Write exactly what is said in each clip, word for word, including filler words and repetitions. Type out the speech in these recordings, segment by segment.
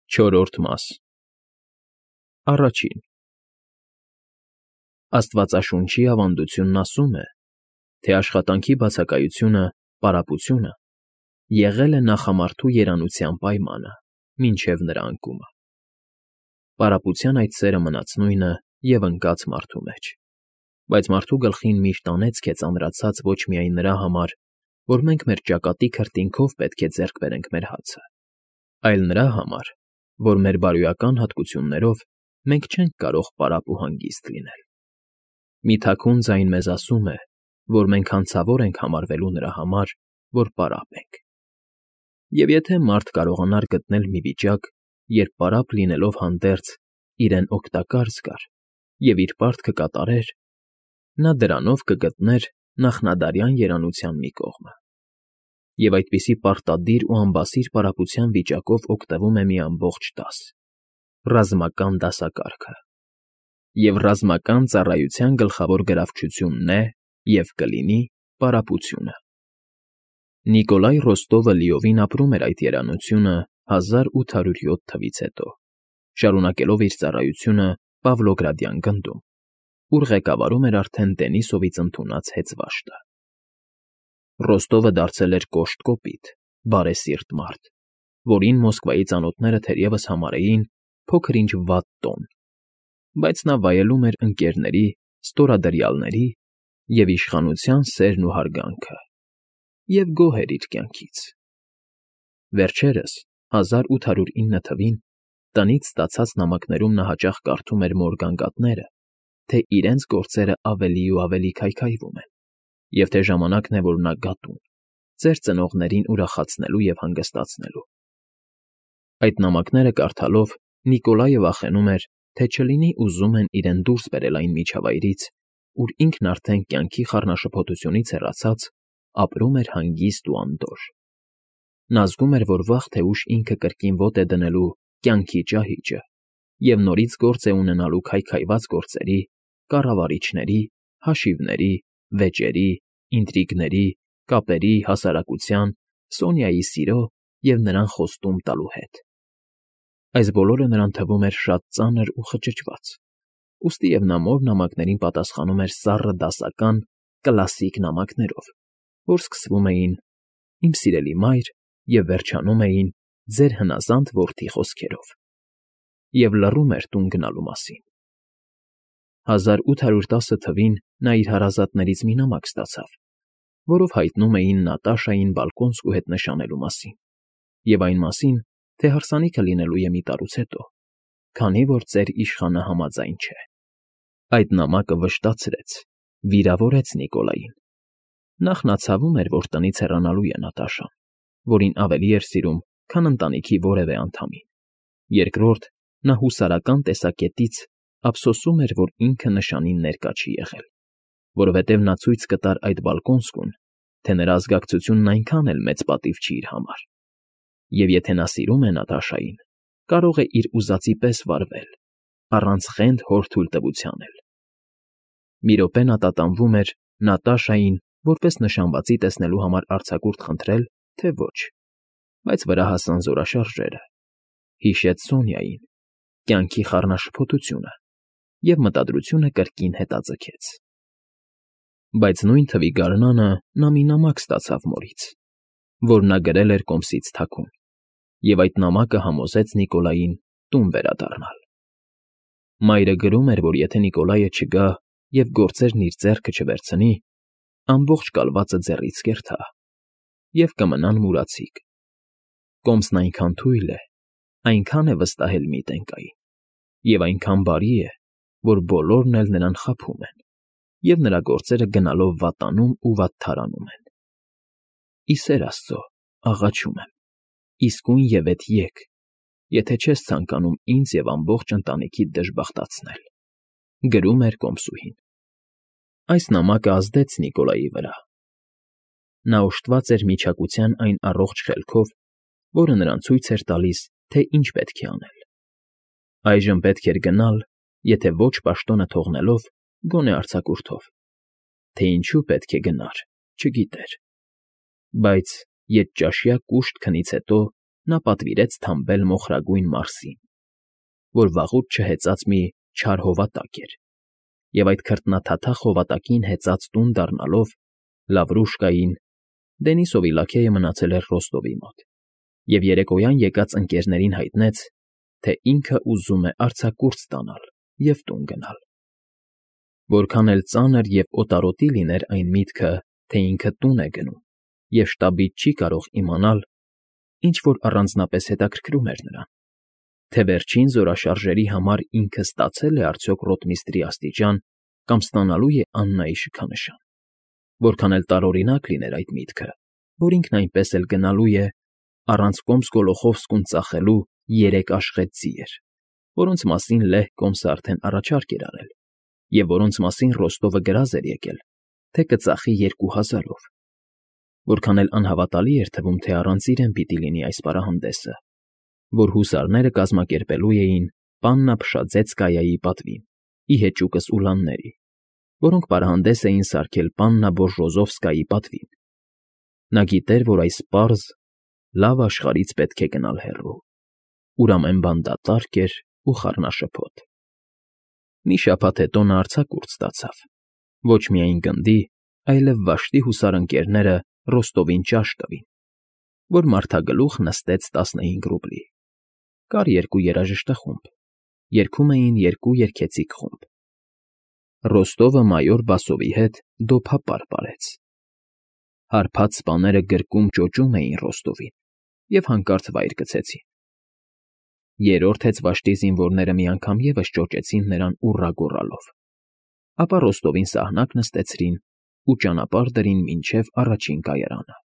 Չորրորդ մաս Առաջին Աստվածաշունչի ավանդությունն ասում է, թե աշխատանքի բացակայությունը, պարապությունը եղել է նախամարդու երանության պայմանը մինչև նրա անկումը. պարապության այդ սերը մնաց նույնը և ընկած մարդու մեջ, բայց մարդու գլխին միշտ անեծք է ծանրացած ոչ միայն նրա համար, որ մենք մեր ճակատի քրտինքով պետք է ձեռք բերենք մեր հացը, այլ նրա համար, որ մեր բարոյական հատկություններով մենք չենք կարող պարապ ու հանգիստ լինել. մի թաքուն ձայն մեզ ասում է, որ մենք հանցավոր ենք համարվելու նրա համար, որ պարապ ենք. և եթե մարդ կարողանար գտնել մի վիճակ, երբ պարապ լինելով հանդերձ իրեն օգտակար զգար և իր պարտքը կատարեր, նա դրանով կգտներ նախնադարյան երանության մի կողմը. և այդպիսի պարտադիր ու անբասիր պարապության վիճակով օգտվում է մի ամբողջ դաս՝ ռազմական դասակարգը, և ռազմական ծառայության գլխավոր գրավչությունն է և կլինի պարապությունը։ Նիկոլայ Ռոստովը լիովին ապրում էր այդ երանությունը հազար ութ հարյուր յոթ թվականից հետո, շարունակելով իր ծառայությունը Պավլոգրադյան գնդում, ուր ղեկավարում էր արդեն Դենիսովից ընդունած հեծվաշտը։ Ռոստովը դարձել էր կոշտ կոպիտ, բարեսիրտ մարդ, որին Մոսկվայի ծանոթները թերևս համարեին փոքր֊ինչ վատ տոն, բայց նա վայելում էր ընկերների, ստորադրյալների և իշխանության սերն ու հարգանքը և գոհ էր իր կյանքից։ Վերջերս, հազար ութ հարյուր ինը թվականին, տնից ստացած նամակներում նա հաճախ կարդում էր մոր գանգատները, թե իրենց գործերը ավելի ու ավելի քայքայվում են, և թե ժամանակն է, որ նա գա տուն՝ ծեր ծնողներին ուրախացնելու և հանգստացնելու։ Այդ նամակները կարդալով Նիկոլայը վախենում էր, թե չլինի ուզում են իրեն դուրս բերել այն միջավայրից, ուր ինքն արդեն կյանքի խառնաշփոթությունից հեռացած ապրում էր հանգիստ ու անդորր։ Նա զգում էր, որ վաղ թե ուշ ինքը կրկին ոտը է դնելու կյանքի ճահիճը և նորից գործ է ունենալու քայքայված գործերի, կառավարիչների, հաշիվների, վեճերի, ինտրիգների, կապերի, հասարակության, Սոնյայի սիրո և նրան խոստում տալու հետ։ Այս բոլորը նրան թվում էր շատ ծանր ու խճճված, ուստի և նա մոր նամակներին պատասխանում էր սառը դասական, կլասիկ նամակներով, որ սկսվում էին «Իմ սիրելի մայր» և վերջանում էին «Ձեր հնազանդ որդի» խոսքերով, և լռում էր տուն գնալու մասին։ հազար ութ հարյուր տասը թվականին նա իր հարազատներից մի նամակ ստացավ, որով հայտնում էին Նատաշային Բալկոնսկու հետ նշանելու մասին և այն մասին, թե հարսանիքը լինելու է մի տարուց հետո, քանի որ ծեր իշխանը համաձայն չէ։ Այդ նամակը վշտացրեց, վիրավորեց Նիկոլային. նախ նա ցավում էր, որ տնից հեռանալու է Նատաշան, որին ավելի էր սիրում, քան ընտանիքի որևէ անդամին, երկրորդ, նա հուսարական տեսակետից ափսոսում էր, որ ինքը նշանին ներկա չի եղել, որովհետև նա ցույց կտար այդ Բալկոնսկուն, թե նրա ազգակցությունն այնքան էլ մեծ պատիվ չի իր համար, և եթե նա սիրում է Նատաշային, կարող է իր ուզածի պես վարվել, առանց խենթ հոր թույլտվության էլ։ Մի րոպե նա տատանվում էր Նատաշային որպես նշանվածի տեսնելու համար արձակուրդ խնդրել, թե ոչ, բայց վրա հասան զորաշարժերը, հիշեց Սոնյային, կյանքի խառնաշփոթությունը և մտադրությունը կրկին հետաձգեց։ Բայց նույն թվի գարնանը նա մի նամակ ստացավ մորից, որ նա գրել էր կոմսից թաքուն, և այդ նամակը համոզեց Նիկոլային տուն վերադառնալ։ Մայրը գրում էր, որ եթե Նիկոլայը չգա և գործերն իր ձեռքը չվերցնի, ամբողջ կալվածը ձեռից կերթա, և կմնան մուրացիկ։ Կոմսն այնքան թույլ է, այնքան է վստահել մի տենկային, և այնքան բարի է, որ բոլորն էլ նրան խաբում են, և նրա գործերը գնալով վատանում ու վատթարանում են։ Ի սեր Աստծո, աղաչում եմ, իսկույնևեթ եկ, եթե չես ցանկանում ինձ և ամբողջ ընտանիքիդ դժբախտացնել, գրում էր կոմսուհին։ Այս նամակը ազդեց Նիկոլայի վրա։ Նա օժտված էր միջակության այն առողջ խելքով, որը նրան ցույց էր տալիս, թե ինչ պետք է անել։ Այժմ պետք էր գնալ, եթե ոչ պաշտոնը թողնելով, գոնե արձակուրդով, թե ինչու պետք է գնար, չգիտեր, բայց ետճաշյա կուշտ քնից հետո նա պատվիրեց թամբել մոխրագույն մարսին, որ վաղուց չհեծած մի չար հովատակ էր, և այդ քրտնաթաթախ հովատակին հեծած տուն դառնալով Լավրուշկային, Դենիսովի լաքեյը մնացել էր Ռոստովի մոտ և երեկոյան եկած ընկերներին հայտնեց, թե ինքը ուզում է արձակուրդ ստանալ և տուն գնալ։ Որքան էլ ծանր և օտարոտի լիներ այն միտքը, թե ինքը տուն է գնում, և շտաբից չի կարող իմանալ, ինչ֊որ առանձնապես հետաքրքրում էր նրան, թե վերջին զորաշարժերի համար ինքը ստացե՞լ է արդյոք ռոտմիստրի աստիճան կամ ստանալու է Աննայի շքանշան, որքան էլ տարօրինակ լիներ այդ միտքը, որ ինքն այնպես էլ գնալու է առանց Կոմս֊Գոլոխովսկուն ծախելու երեք աշխատ ձիեր, որոնց մասին լեհ կոմսը արդեն առաջարկ էր արել և որոնց մասին Ռոստովը գրազ էր եկել, թե կծախի երկու հազարով, որքան էլ անհավատալի էր թվում, թե առանց իրեն պիտի լինի այս պարահանդեսը, որ հուսարները կազմակերպելու էին Պաննա֊Փշաձեցկայայի պատվին ի հեճուկս Ուլանների, որոնք պարահանդես էին սարքել Պաննա֊Բոժոզովսկայի պատվին։ Նա գիտեր, որ այս պարզ, լավ աշխարհից պետք է գնալ հեռու, ուր ամեն բան դատարկ էր ու խառնաշփոթ։ Մի շաբաթ հետո նա արձակուրդ ստացավ, ոչ միայն գնդի, այլև Վաշտի հուսարընկերները Ռոստովին ճաշ տվին, որ մարդագլուխ նստեց տասնհինգ ռուբլի։ Կար երկու երաժշտախումբ, երգում էին երկու երգեցիկ խումբ։ Ռոստովը մայոր Բասովի հետ դոփապար պարեց։ Հարբած սպաները գրկում ճոճում էին Ռոստովին և հանկարծ վայր գցեցին։ Երրորդ հեծվաշտի զինվորները մի անգամ ևս ճոճեցին նրան ուռա գոռալով, ապա Ռոստովին սահնակ նստեցրին ու ճանապարհ դրին մինչև առաջին կայարանը։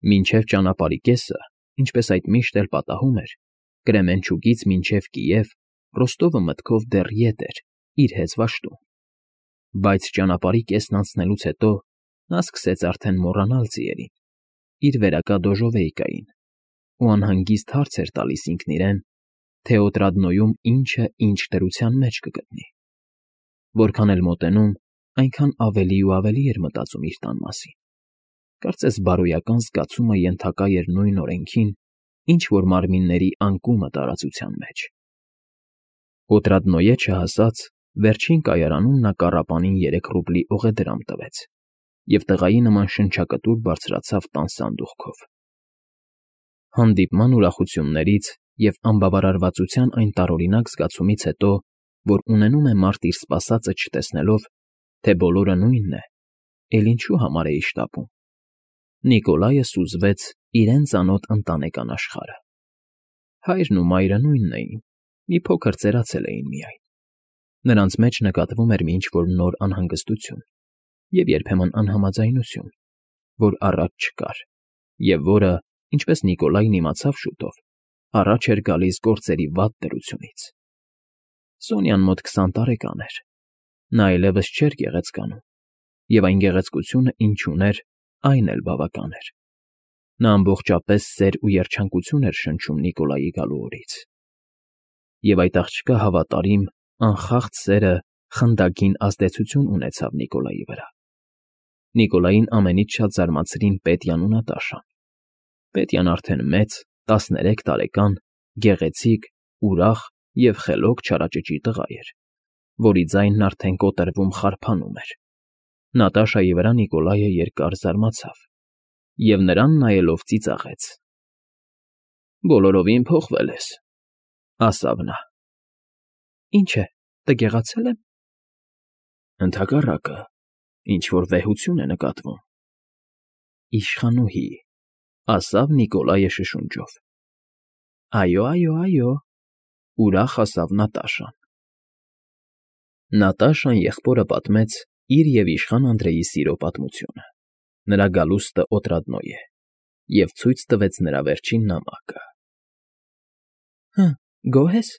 Մինչև ճանապարհի կեսը, ինչպես այդ միշտ էլ պատահում էր, Կրեմենչուգից մինչև Կիև Ռոստովը մտքով դեռ ետ էր իր հեծվաշտում, բայց ճանապարհի կեսն անցնելուց հետո նա սկսեց արդեն մոռանալ ձիերին, իր վերակա դոժովեիկային, ու անհանգիստ հարց էր տալիս ինքն իրեն, թե Օտրադնոյում ինչը ինչ դրության մեջ կգտնի։ Որքան էլ մոտենում, այնքան ավելի ու ավելի էր մտածում իր տան մասին։ Կարծես բարոյական զգացումը ենթակա էր նույն օրենքին, ինչ որ մարմինների անկումը տարածության մեջ։ Օտրադնոյե չհասած, վերջին կայարանում նա կառապանին երեք ռուբլի օղեդրամ տվեց և տղայի նման շնչակտուր բարձրացավ տան սանդուղքով։ Հանդիպման ուրախություններից և անբավարարվածության այն տարօրինակ զգացումից հետո, որ ունենում է մարդ իր սպասածը չտեսնելով, թե բոլորը նույնն է, էլ ինչու համար էի շտապում, Նիկոլայը սուզվեց իրեն ծանոթ ընտանեկան աշխարհը։ Հայրն ու մայրը նույնն էին, մի փոքր ծերացել էին միայն։ Նրանց մեջ նկատվում էր մի ինչ֊որ նոր անհանգստություն և երբեմն անհամաձայնություն, որ առաջ չկար, և որը, ինչպես Նիկոլայն իմացավ շուտով, առաջ էր գալիս գործերի վատ դրությունից։ Սոնյան մոտ քսան տարեկան էր, նա այլևս չէր գեղեցկանում, և այն գեղեցկությունը, ինչ ուներ, այն էլ բավական էր։ Նա ամբողջապես սեր ու երջանկություն էր շնչում Նիկոլայի գալու օրից։ Եվ այդ աղջկա հավատարիմ, անխախտ սերը խնդագին ազդեցություն ունեցավ Նիկոլայի վրա։ Նիկոլային ամենից շատ զարմացրին Պետյան ու Նատաշան։ Պետյան արդեն մեծ, տասներեք տարեկան, գեղեցիկ, ուրախ և խելոք չարաճճի տղա էր, որի ձայնն արդեն կոտրվում խարփանում էր։ Նատաշայի վրա Նիկոլայը երկար զարմացավ և նրան նայելով ծիծաղեց։ ֊ Բոլորովին փոխվել ես,֊ ասավ նա։ ֊ Ինչ է, տգեղացե՞լ եմ։ ֊ Ընդհակառակը, ինչ֊որ վեհություն է նկատվում։ ֊ Իշխանուհի,֊ ասավ Նիկոլայը շշունջով։ ֊ Այո, այո, այո,֊ ուրախ ասավ Նատաշան։ Նատաշան եղբորը պատմեց իր և իշխան Անդրեի սիրո պատմությունը, նրա գալուստը Օտրադնոյ է, և ցույց տվեց նրա վերջին նամակը։ ֊ Հը, գոհ ես,֊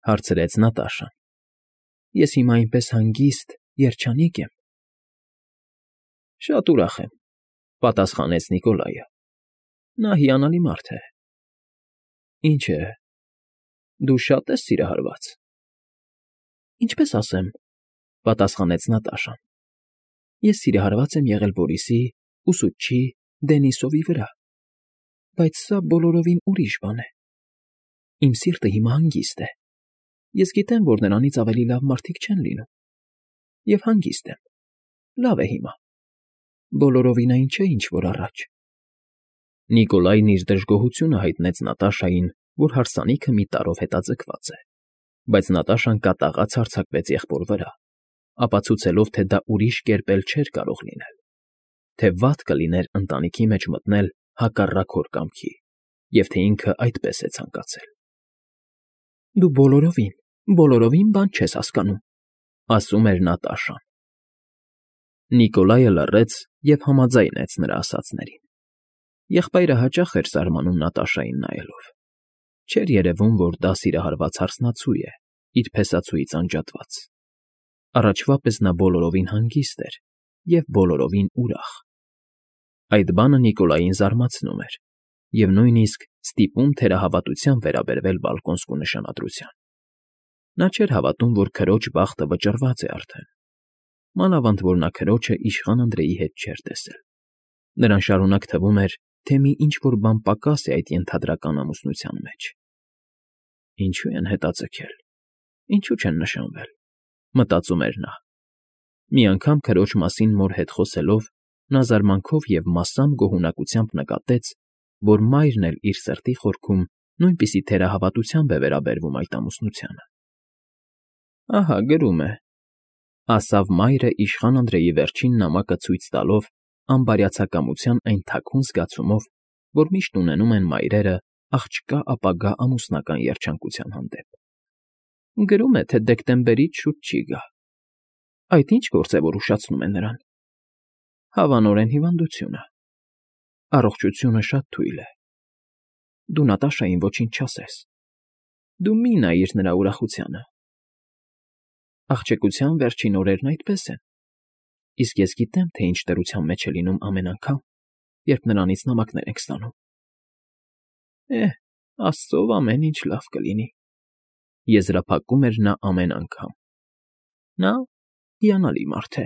հարցրեց Նատաշան։ Ես հիմա այնպես հանգիստ, երջանիկ եմ։ ֊ Շատ ուրախ եմ,֊ պատասխանեց Նիկոլայը։ Նա հիանալի մարդ է։ ֊ Ինչ է, դու շա՞տ ես սիրահարված։ ֊ Ինչպես ասեմ,֊ պատասխանեց Նատաշան։ Ես սիրահարված եմ եղել Բորիսի, ուսուցչի, Դենիսովի վրա։ Բայց սա բոլորովին ուրիշ բան է։ Իմ սիրտը հիմա հանգիստ է։ Ես գիտեմ, որ նրանից ավելի լավ մարդիկ չեն լինում։ Եվ հանգիստ եմ։ Լավ է հիմա։ Բոլորովին այն չէ, ինչ որ առաջ։ Նիկոլայն իր դժգոհությունը հայտնեց Նատաշային, որ հարսանիքը մի տարրով հետաձգված է, բայց Նատաշան կատաղած հարձակվեց եղբոր վրա, ապացուցելով, թե դա ուրիշ կերպ էլ չէր կարող լինել, թե վատ կլիներ ընտանիքի մեջ մտնել հակառակ հոր կամքի, և թե ինքը այդպես է ցանկացել։ Դու բոլորովին, բոլորովին բան չես հասկանում, ասում էր Նատաշան։ Նիկոլայը լռեց և համաձայնեց նրա ասածներին։ Եղբայրը հաճախ էր զարմանում Նատաշային նայելով։ Չէր երևում, որ դա սիրահարված հարսնացու է, իր փեսացուից անջատված։ Առաջվա պես նա բոլորովին հանգիստ էր և բոլորովին ուրախ։ Այդ բանը Նիկոլային զարմացնում էր և նույնիսկ ստիպում թերահավատությամբ վերաբերվել բալկոնսկու նշանադրության։ Նա չէր հավատում, որ քրոջ բախտը վճռված է արդեն։ Մանավանդ որ նա քրոջը իշխան Անդրեի հետ չէր տեսել։ Նրան շարունակ թվում էր, թե մի ինչ֊որ բան պակաս է այդ ենթադրական ամուսնության մեջ։ Ինչո՞ւ են հետաձգել, ինչու չեն նշանվել, մտածում էր նա։ Մի անգամ քրոջ մասին մոր հետ խոսելով նա զարմանքով և մասամբ գոհունակությամբ նկատեց, որ մայրն էլ իր սրտի խորքում նույնպիսի թերահավատությամբ է վերաբերվում այդ ամուսնությանը։ Ահա գրում է,֊ ասավ մայրը իշխան Անդրեի վերջին նամակը ցույց տալով անբարյացակամության այն թաքուն զգացումով, որ միշտ ունենում են մայրերը աղջկա ապագա ամուսնական երջանկության հանդեպ։ Գրում է, թե դեկտեմբերից շուտ չի գա։ Այդ ի՞նչ գործ է, որ ուշացնում է նրան։ Հավանորեն հիվանդությունը։ Առողջությունը շատ թույլ է։ Դու Նատաշային ոչինչ չասես։ Դու մի նայիր նրա ուրախությանը։ Աղջկության վերջին օրերն այդպես են, իսկ ես գիտեմ, թե ինչ դրության մեջ է լինում ամեն անգամ, երբ նրանից նամակներ ենք ստանում։ Էհ, աստծով ամեն ինչ լավ կլինի,֊ եզրափակում էր նա ամեն անգամ։ Նա հիանալի մարդ է։